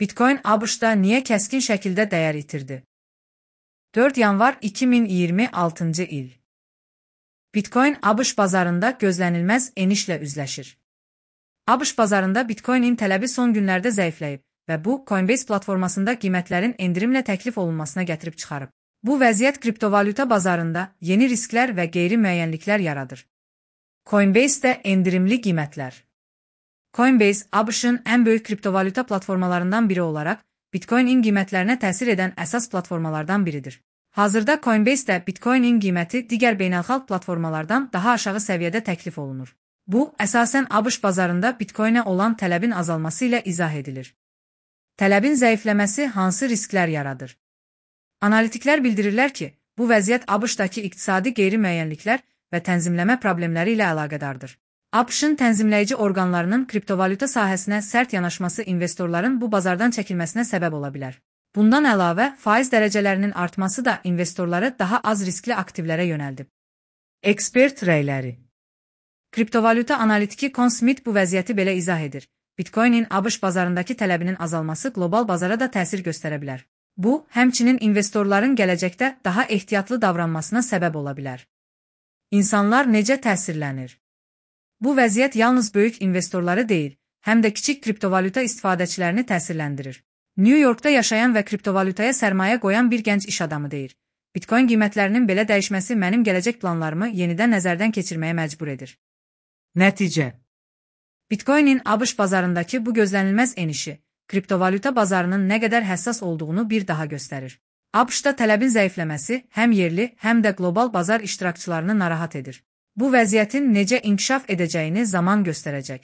Bitcoin ABŞ-da niyə kəskin şəkildə dəyər itirdi? 4 yanvar 2026 il. Bitcoin ABŞ bazarında gözlənilməz enişlə üzləşir. ABŞ bazarında Bitcoinin tələbi son günlərdə zəifləyib və bu, Coinbase platformasında qiymətlərin endirimlə təklif olunmasına gətirib çıxarıb. Bu vəziyyət kriptovalyuta bazarında yeni risklər və qeyri-müəyyənliklər yaradır. Coinbase-də endirimli qiymətlər. Coinbase, ABŞ-ın ən böyük kriptovalyuta platformalarından biri olaraq, Bitcoin-in qiymətlərinə təsir edən əsas platformalardan biridir. Hazırda Coinbase-də Bitcoin-in qiyməti digər beynəlxalq platformalardan daha aşağı səviyyədə təklif olunur. Bu, əsasən ABŞ bazarında Bitcoin-ə olan tələbin azalması ilə izah edilir. Tələbin zəifləməsi hansı risklər yaradır? Analitiklər bildirirlər ki, bu vəziyyət ABŞ-dakı iqtisadi qeyri-müəyyənliklər və tənzimləmə problemləri ilə əlaqədardır. ABŞ-ın tənzimləyici orqanlarının kriptovalyuta sahəsinə sərt yanaşması investorların bu bazardan çəkilməsinə səbəb ola bilər. Bundan əlavə, faiz dərəcələrinin artması da investorları daha az riskli aktivlərə yönəldib. Ekspert rəyləri. Kriptovalyuta analitiki Con Smith bu vəziyyəti belə izah edir. Bitcoin-in ABŞ bazarındakı tələbinin azalması qlobal bazara da təsir göstərə bilər. Bu, həmçinin investorların gələcəkdə daha ehtiyatlı davranmasına səbəb ola bilər. İnsanlar necə təsirlənir? Bu vəziyyət yalnız böyük investorları deyil, həm də kiçik kriptovalyuta istifadəçilərini təsirləndirir. New Yorkda yaşayan və kriptovalyutaya sərmayə qoyan bir gənc iş adamı deyir. Bitcoin qiymətlərinin belə dəyişməsi mənim gələcək planlarımı yenidən nəzərdən keçirməyə məcbur edir. Nəticə. Bitcoin-in ABŞ bazarındakı bu gözlənilməz enişi, kriptovalyuta bazarının nə qədər həssas olduğunu bir daha göstərir. ABŞ-da tələbin zəifləməsi həm yerli, həm də qlobal bazar iştirakçılarını narahat edir. Bu vəziyyətin necə inkişaf edəcəyini zaman göstərəcək.